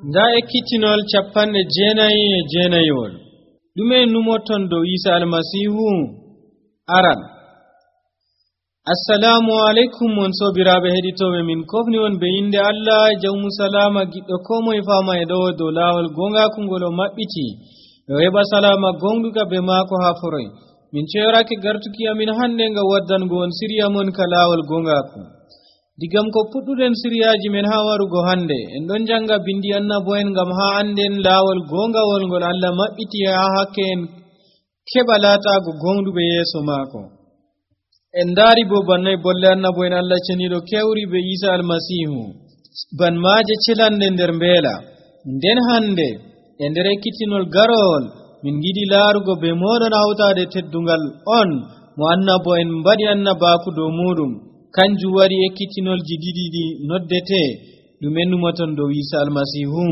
nda ekkitinol 99 ɗume numoton dow Isa almasihu aran. Assalamu alaikum mon sobiraɓe heɗitoɓe min kofni on be inde Allah jawmu salama giɗɗo ko moye fama e ɗo dow lawol gongaku ngol o maɓɓiti e o heɓa salama gonɗuka be maako ha foroy. Min ceyorake gartuki amin hande nga waddango on siriya mon ka lawol gongaku. Digam ko puɗɗuɗen siriyaji men ha warugo hande en ɗon janga bindi annabo'en ngam ha anden lawol gongawol ngol Allah maɓɓiti ha hakke en keɓa latago gonɗuɓe yeso maako. En daari bo bannay bolle annabo'en Allah ceniɗo kewri be Isa almasihu ban maaje celande nder mbeela. Nden hande e nder ekkitinol garowol min giɗi laarugo be moɗon hawtade teddungal on mo annabo'en mbaɗi annabaku dow muɗum. Kanjum waɗi ekkitinolji ɗiɗi noddete ɗume numaton dow Isa almasihu.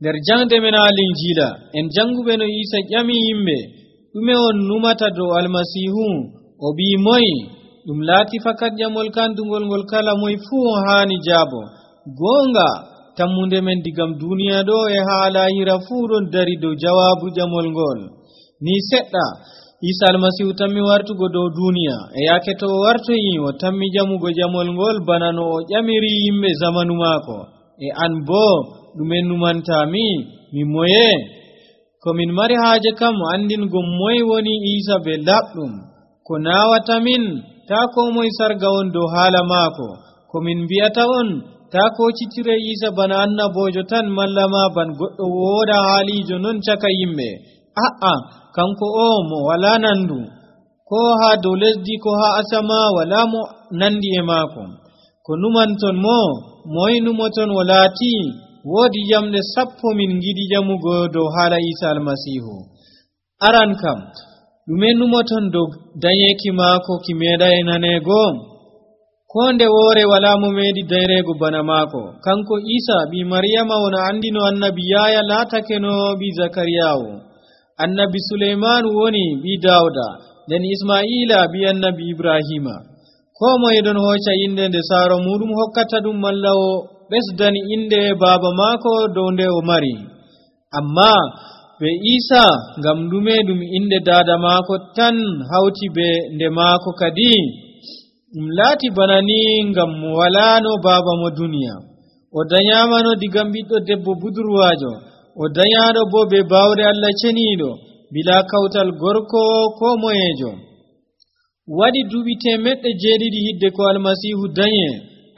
Nder jangde men Linjila en janguɓe no Isa ƴami yimɓe ɗume on numata dow almasihu. O bii moy ɗum laati fakat ƴamol kandugol ngol kala moy fuu haani jaabo. Goonga tammunde men digam duniya ɗo e haa lahira fuu ɗon dari dow jawaabu ƴamol ngol. Ni seɗɗa Isa almasihu tammi wartugo dow duniya e yaake to o wartoyi o tammi ƴamugo ƴamol ngol bana no o ƴamiri yimɓe zamanu maako. E an boo ɗume numantami mi moye? Ko min mari haaje kam andingo moy woni Isa be laɓɗum. Ko naawata min taa ko moye sarga on dow haala maako. Ko min mbi'ata on taa koocitire Isa bana annabojo tan malla ma ban goɗɗo wooda haalijo non caka yimɓe. Kanko o mo wala nandu ko haa dow lesdi ko haa asama wala mo nandi e maako. Ko numanton mo moy numoton o laati woodi jamɗe 10 min giɗi jamugo dow haala Isa almasihu. Aran kam ɗume numoton dow dañeki maako ki meeɗay nanego? Ko nde woore wala mo meeɗi dayrego bana maako. Kanko Isa ɓi Maryama wona andino annabi Yahya laatake no ɓi Zakariyawo. Annabi Suleyman woni ɓi Dawda, nden Isma'ila ɓi annabi Ibrahima. Ko moye ɗon hocca inde nde saaro muɗum hokkata ɗum malla o ɓesdani inde baaba maako dow nde o mari. Amma be Isa ngam ɗume ɗum inde daada maako tan hawti be nde maako kadi? Ɗum laati bana ni ngam mo walano baaba mo duniya. O danyamano digam ɓiɗɗo debbo budurwajo. O danyaɗo bo be bawɗe Allah ceniɗo bila kawtal gorko ko moyejo. Waɗi duuɓi 700 hidde ko almasihu danye.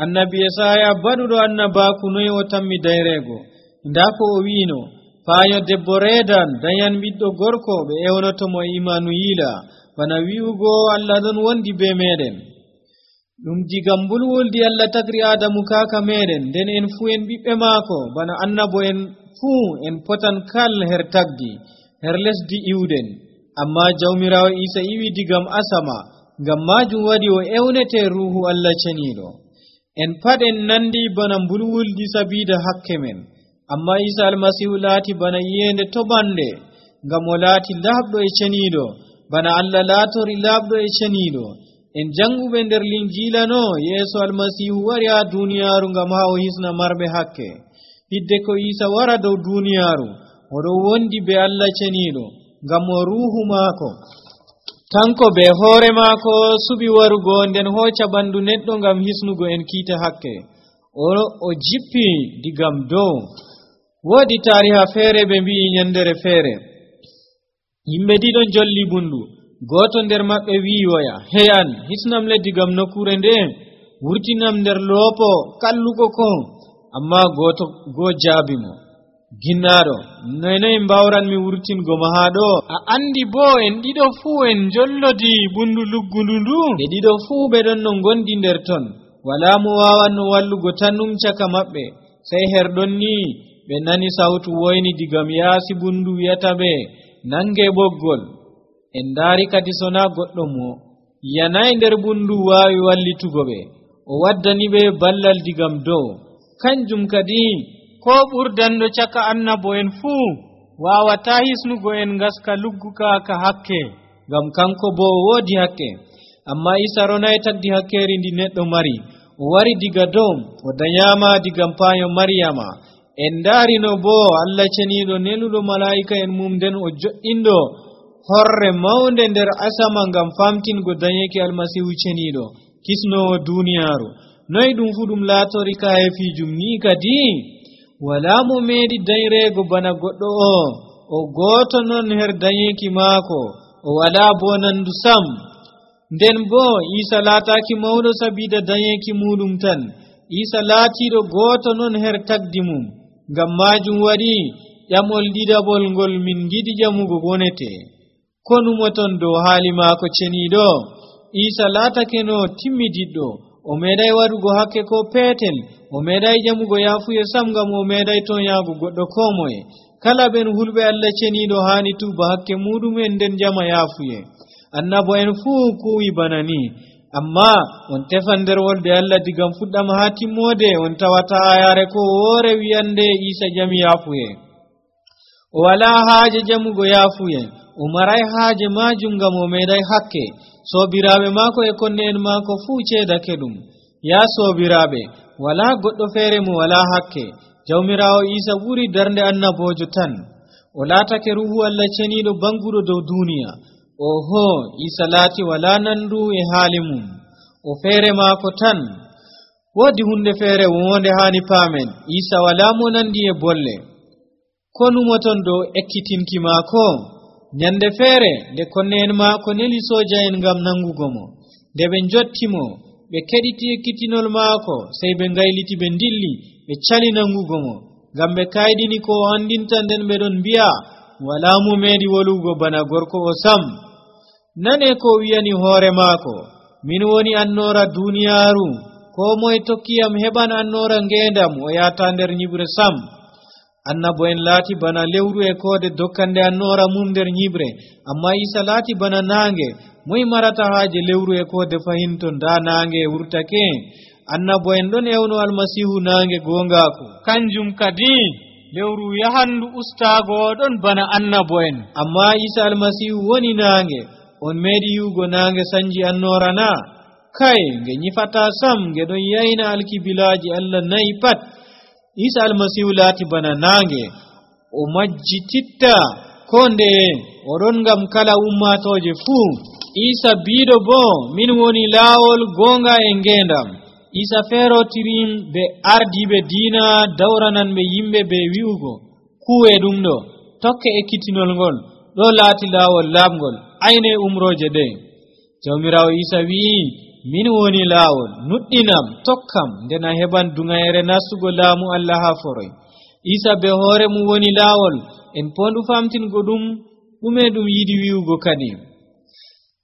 Annabi Yesaya baɗuɗo annabaku noy o tammi dayrego. Nda ko o wino faayo debbo reedan dayan ɓiɗɗo gorko ɓe ewnotomo Imanuyila bana wi'ugo Allah ɗon wondi be meɗen. Ɗum digam mbulwuldi Allah tagri Adamu kaka meɗen nden en fuu en ɓiɓɓe maako bana annabo en fuu en potan kal her tagdi her lesdi iwden. Amma jawmirawo Isa iwi digam asama ngam majum waɗi o ewnete ruhu Allah ceniɗo. En pat en nandi bana mbulwuldi sabida hakke men. Amma Isa almasihu laati bana iyende toɓande ngam o laati laaɓɗo e ceniɗo bana Allah laatori laaɓɗo e ceniɗo. En janguɓe nder Linjila no yeeso almasihu wari ha duniyaaru ngam ha o hisna marɓe hakke. Hidde ko Isa wara dow duniyaaru oɗo wondi be Allah ceniɗo ngam o ruhu maako kanko be hoore maako suɓi warugo nden hocca ɓandu neɗɗo ngam hisnugo en kiita hakke. O jippi digam dow. Woodi tariha feere ɓe mbi'i nyandere feere yimɓe ɗiɗo jolli bundu. Goto nder maɓɓe wi'i woya hey an hisnam le digam nokkure nde wurtinam nder loopo kallugo ko. Amma go jaabi mo ginnaɗo noy mbawran mi wurtingo ma ha ɗo? A andi bo en ɗiɗo fuu en jollodi bundu luggundu ndu ɓe ɗiɗo fuu ɓe ɗon no gondi nder ton wala mo wawanno wallugo tannum caka maɓɓe. Sey herɗon ni ɓe nani sawtu woyni digam yaasi bundu wi'ata ɓe nange ɓoggol. En daari kadi sona goɗɗo mo yanayi nder bundu waawi wallitugo ɓe. O waddani ɓe ballal digam dow. Kanjum kadi ko ɓurdanɗo caka annabo en fuu wawata hisnugo en ngaska lugguka ka hakke ngam kanko bo woodi hakke. Amma Isa ronay tagdi hakkeri ndi neɗɗo mari. O wari diga dow o danyama digam payo Maryama en darino bo Allah cenido neludo malaika en mum den o jo'indo horre mawnde nder asama ngam famtingo danyeki almasihu cenido kisnowo duniyaaru noy dum fu dum laatori ka hefijum ni kadi wala mo meedi dayrego bana goddo o goto non her danyeki maako o wala bo nandu sam nden bo Isa laataaki mawdo sabida danyeki mudum tan Isa laatido goto non her tagdi mum ngam majum wadi yamol didabol ngol min gidi jamugo gonete konumoton do haali maako cenido Isa laatake no timmididdo o medai wadugo hakke ko petel o medai jamugo yafuye sam ngam o medai ton yaago goddo komoye kala ben hulbe Allah cenido hani tuba hakke mudumen den jama yafuye annabo en fu kuwi banani amma on tefan der wolde Allah digam fuddam ha timmode on tawata ayare ko wore wiyande Isa jami yafuye o wala haaje jamugo yafuye o maray haaje majum ngam o medai hakke sobiraabe maako e konne en maako fu ceedake dum ya sobiraabe wala goddo feere mo wala hakke jawmirawo Isa buri darnde annabojo tan o laatake ruhu Allah cenido bangudo dow duniya oho Isa laati wala nandu e haali mum o feere maako tan wodi hunde feere wonde hani paamen Isa wala mo nandi e bolle konumoton dow ekkitinki maako nyande feere de konne en maako neli soja en ngam nangugo mo de be jottimo be kediti ekkitinol maako sey be ngayliti be dilli be cali nangugo mo ngam be kaydini ko andinta den be don biya wala mo meedi wolugo bana gorko o sam nane ko wiyani hoore maako min woni annora duniyaaru ko moy tokkiyam heban annora ngendam o yaata nder nyibre sam annabo en laati bana lewru e koode dokkande annora mum nder nyibre amma Isa laati bana naange moy marata haaje lewru e koode fahinton da naange wurtake annabo en don ewno almasihu naange gongaako kanjum kadi lewru yahandu ustaago don bana annabo en amma Isa almasihu woni naange on meedi yugo naange sanji annora na kai nge nyifata sam nge don yayna alkibilaaji Allah nayi pat Isa almasihu laati bana naange o majjititta konde oɗon ngam kala ummatoje fuu Isa biido bo min woni laawol gonga e ngendam Isa ferotirim be ardibe diina dawranan be yimbe be wi'ugo kuwe dum do tokke ekkitinol ngol do laati laawol laamgol ayne umroje de jawmirawo Isa wi'i min woni laawol nuddinam tokkam ndena heban dungayere nastugo laamu Allah ha foroy Isa be hoore mu woni laawol en pondu famtingo dume dum yidi wi'ugo kadi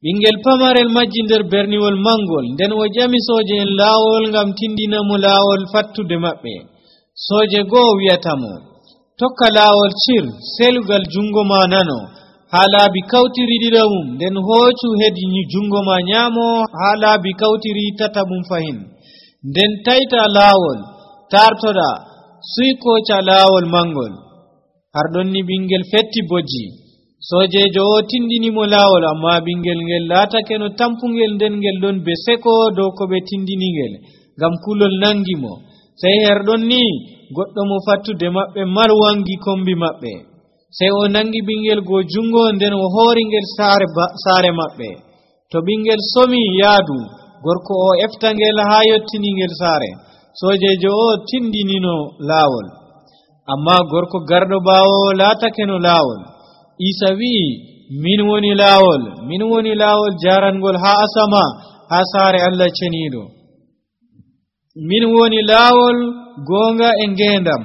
bingel pamarel majji nder berniwol mangol nden o jami soje en laawol ngam tindina mo laawol fattude mabbe soje go wi'atamo tokka laawol cir selugal jungo ma nano halaabi kawtiri didamum nden hoocu hedi jungo ma nyamo halaabi kawtiri tatabum fahin nden tayta laawol tartoda suikocha laawol mangol hardon ni bingel fetti boji sojejo o tindini mo laawol amma bingel ngel laatake no tampungel nden ngel don be seko dow ko be tindini ngel ngam kulol nangimo sey herdon ni goddo mo fattude mabbe marwangi kombi mabbe sey o nangi bingel go jungo nden o hoori ngel saare mabbe to bingel somi yaadu gorko o eftangel ha yottini ngel saare sojejo o tindinino laawol amma gorko gardo baawo laatake no laawol Isa wi'i min woni laawol jarangol ha asama ha saare Allah cenido min woni laawol gonga e ngendam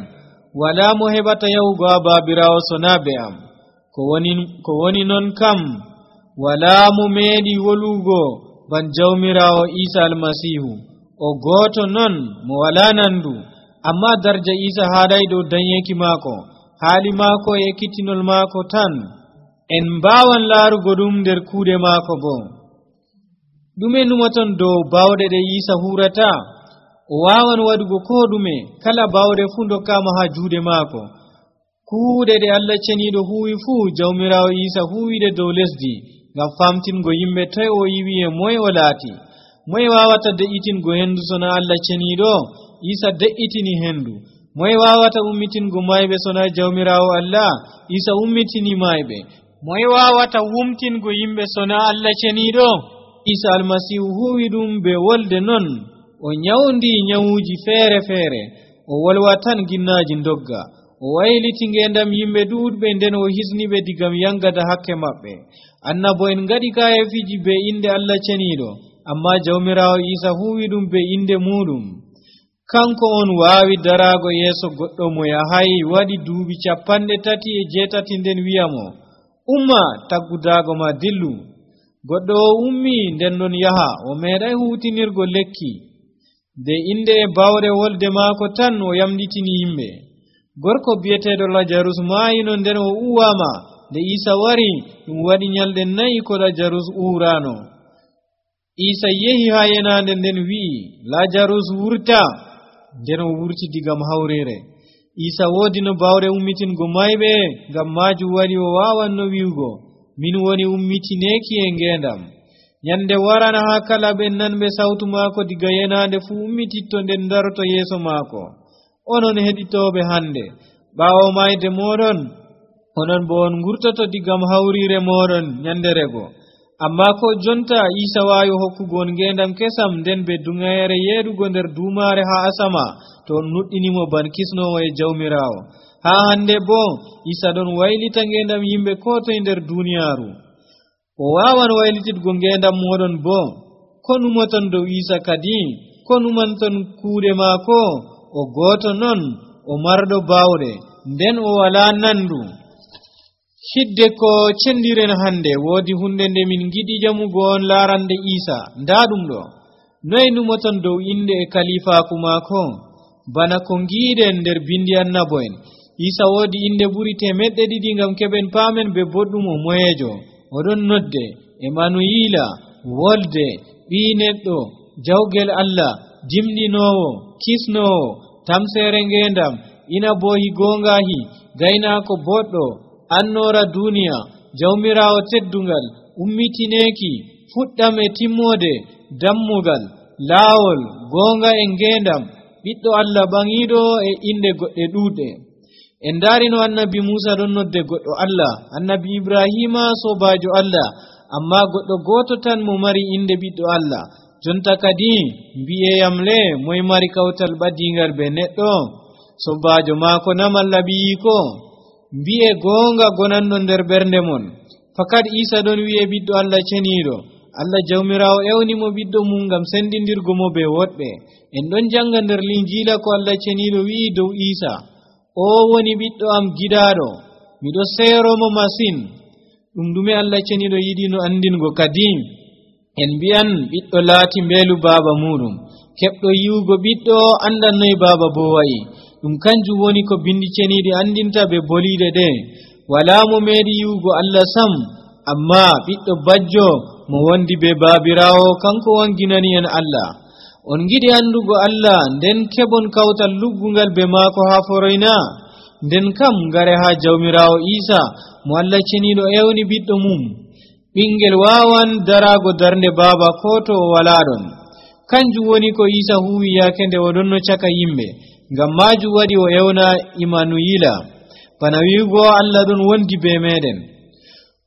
wala mo hebata yahugo ha babirawo sonabe am ko woni non kam wala mo meedi wolugo ban jawmirawo Isa almasihu o goto non mo wala nandu amma darja Isa haadai do danyeki maako haali maako e kittinol maako tan en baawan laarugo dum nder kuude maako bo dume numaton dow bawde de Isa hurata o waawan wadugo ko dume kala bawde fu dokkama ha juude maako kuude de Allah cenido huwi fu jawmirawo Isa huwide dow lesdi ngam famtingo yimbe tay o yiwi e moy o laati moy wawata de'itingo hendu sona Allah cenido Isa de'itini hendu moy wawata ummitingo maybe sona jawmirawo Allah Isa ummitini maybe moy wawata wumtingo yimbe sona Allah cenido Isa almasihu huwidum be wolde non o nyawndi nyawuji fere o wolwatan ginnaji ndogga o wayliti ngendam yimbe duudbe nden o hisnibe digam yangada hakke mabbe annabo en ngadi kayefiji be inde Allah cenido amma jawmirawo Isa huwidum be inde mudum kanko on waawi darago yeso goddo mo yahay wadi duubi 38 nden wiyamo umma taggudago ma dillu goddo ummi nden non yaha o meeday huutinirgo lekki de inde bawre wolde maako tan o yamditini yimbe gorko biyetedo Lazarus maayino nden o uwama de Isa wari dum wadi nyalde 4 ko Lazarus urano Isa yehi ha yenande nden wi Lazarus wurta nden o wurti digam hawrere Isa wodi no bawre ummitingo maybe ngam maaju wari o wawanno wiugo min woni ummitineki e ngendam nyande warana ha kala ben nanbe sawtu maako diga yenande fu ummititto nden daroto yeso maako onon heditobe hande bawo mayde modon onon bo on ngurtoto digam hawrire modon nyanderego amma ko jonta Isa wayo hokkugo ngendam kesam nden be dungayere yedugo nder dumare ha asama to nuddinimo ban kisnowo e jawmirawo ha hande bo Isa don waylita ngendam yimbe ko to nder duniyaaru o wawan waylitidgo ngendam modon bo konumoton do Isa kadi konumanton kuude maako o goto non o mardo bawde nden o wala nandu hidde ko cendiren hande wodi hunde nde min gidi jamugo on larande Isa ndadum do noy numoton dow inde e kalifaku maako bana ko ngiden nder bindi annaboen Isa wodi inde buri 200 ngam keben paamen be boddum o moyejo odon nodde Emanuila wolde bi neddo jawgel Allah jimdinowo kisnowo tamsere ngendam ina bohi gongahi gaina ko boddo annora duniya jawmirawo teddungal ummitineki fuddam e timmode dammugal laawol gonga e ngendam biddo Allah bangido e inde godde duude en darino annabi Musa don nodde goddo Allah annabi Ibrahima sobajo Allah amma goddo goto tan mo mari inde biddo Allah jonta kadi biyeyam le moy mari kawtal badingal be neddo sobajo maako namal labi ko biye gonga gonanno nder bernde mon fakat Isa don wiye biddo Allah cenido Allah jawmirawo ewni mo biddo mum ngam sendindirgo mo be wodbe en don janga nder linjila ko Allah cenido wi dow Isa o woni biddo am gidaado mido sero mo masin dum dume Allah cenido yidi no andingo kadi en biyan biddo laati mbelu baba mudum kebdo yiwugo biddo andan noy baba bo wayi dum kanju woni ko bindi cenidi andinta be bolide de wala mo medi yiwugo Allah sam amma biddo bajjo mo wondi be babirawo kanko wanginani en Allah on gidi andugo Allah nden kebon kawtal luggungal be maako ha foroyna nden kam ngare ha jawmirawo Isa mo Allah cenido ewni biddo mum bingel wawan darago darnde baba koto wala don kanju woni ko Isa huwi yakende wodonno caka yimbe ngam maju wadi o ewna Emanuila bana wiugo Allah don wondi be meden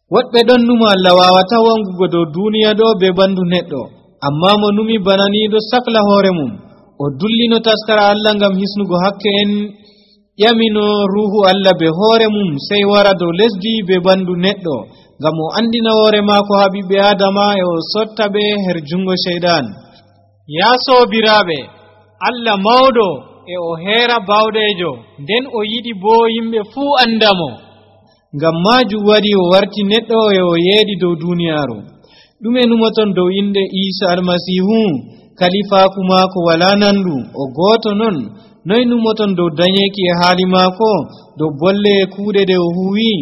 wodbe don numa Allah wawata wangugo do duniya do be bandu neddo amma mo numi bananido sakla hore mum o dullino taskara Allah ngam hisnugo hakke en yamino ruhu Allah be hore mum sey wara do lesdi be bandu neddo ngam o andina hore maako habibe Adama e o sotta be her jungo shaydan ya sobirabe Allah mawdo e o hera bawdejo nden o yidi bo yimbe fu andamo ngam maju wadi o warti neddo e o yeedi dow duniyaaru dume numoton dow inde Isa almasihu kalifaku maako wala nandu o goto non noy numoton dow danyeki e haali maako dow bolle kuude de o huwi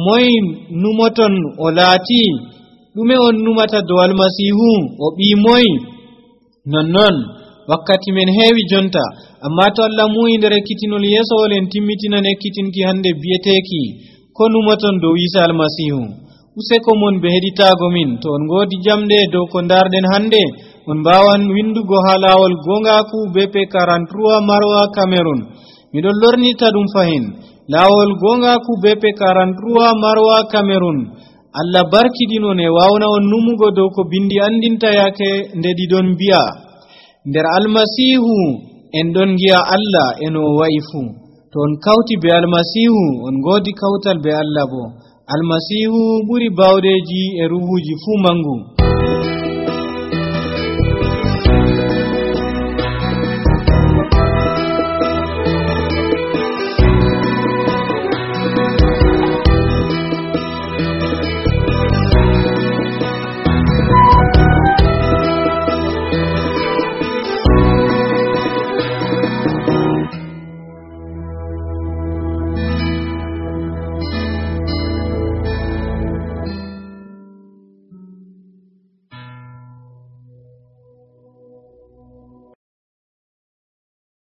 moy numoton o laati dume on numata dow almasihu o bi moy non wakkati men heewi jonta amma to Allah mu'indere kitinol yesowolen timmitina nekkitinki hande biyeteki ko numoton dow Isa almasihu useko mon be heditago min to on godi jamde dow ko darden hande on bawan windugo ha lawol gongaku BP 43 Marwa Cameroon midon lornita dum fahin lawol gongaku BP 43 Marwa Cameroon Allah barkidinon e wawna on numugo dow ko bindi andinta yake ndedi don biya nder almasihu en don giya Allah eno waifu to on kauti be almasihu on godi kautal be Allah bo almasihu buri bawdeji e ruhuji fu mangu